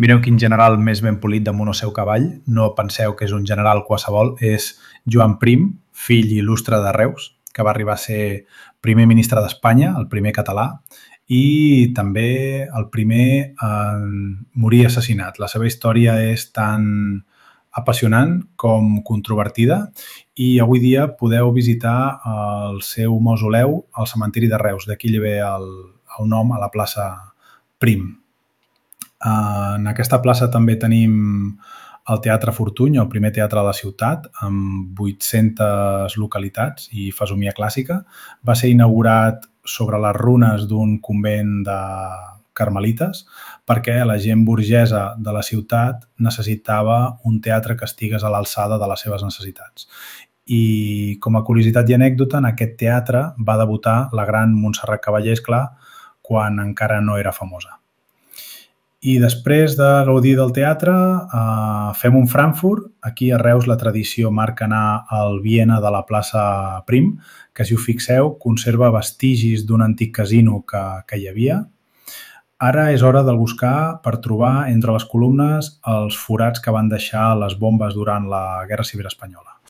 Mireu quin general més ben polit damunt el seu cavall. No penseu que és un general qualsevol, és Joan Prim, fill il·lustre de Reus, que va arribar a ser primer ministre d'Espanya, el primer català, i també el primer en morir assassinat. La seva història és tan apassionant com controvertida i avui dia podeu visitar el seu mausoleu al cementiri de Reus. D'aquí li ve el nom a la plaça Prim. En aquesta plaça també tenim el Teatre Fortuny, el primer teatre de la ciutat, amb 800 localitats i fesomia clàssica. Va ser inaugurat sobre les runes d'un convent de carmelites perquè la gent burgesa de la ciutat necessitava un teatre que estigués a l'alçada de les seves necessitats. I com a curiositat i anècdota, en aquest teatre va debutar la gran Montserrat Caballé, esclar, quan encara no era famosa. I després de gaudir del teatre, fem un Frankfurt. Aquí a Reus la tradició marca anar al Viena de la plaça Prim, que si us fixeu conserva vestigis d'un antic casino que hi havia. Ara és hora de buscar per trobar entre les columnes els forats que van deixar les bombes durant la Guerra Civil Espanyola.